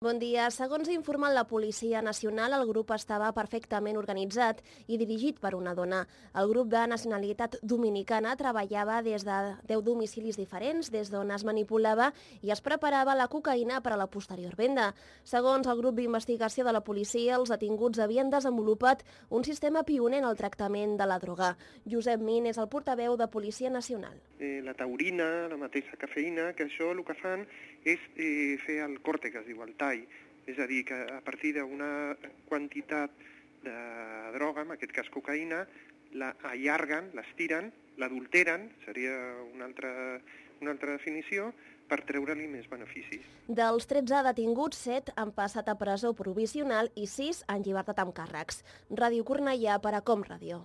Bon dia. Segons ha informat la Policia Nacional, el grup estava perfectament organitzat i dirigit per una dona. El grup de nacionalitat dominicana treballava des de 10 domicilis diferents, des d'on es manipulava i es preparava la cocaïna per a la posterior venda. Segons el grup d'investigació de la policia, els detinguts havien desenvolupat un sistema pioner en el tractament de la droga. Josep Min és el portaveu de Policia Nacional. La taurina, la mateixa cafeïna, que això el que fan és fer el corte, que es diu el tall. És a dir, que a partir d'una quantitat de droga, en aquest cas cocaïna, la allarguen, l'estiren, l'adulteren, seria una altra definició, per treure-li més beneficis. Dels 13 detinguts, 7 han passat a presó provisional i 6 en llibertat amb càrrecs. Ràdio Cornellà per a Com Ràdio.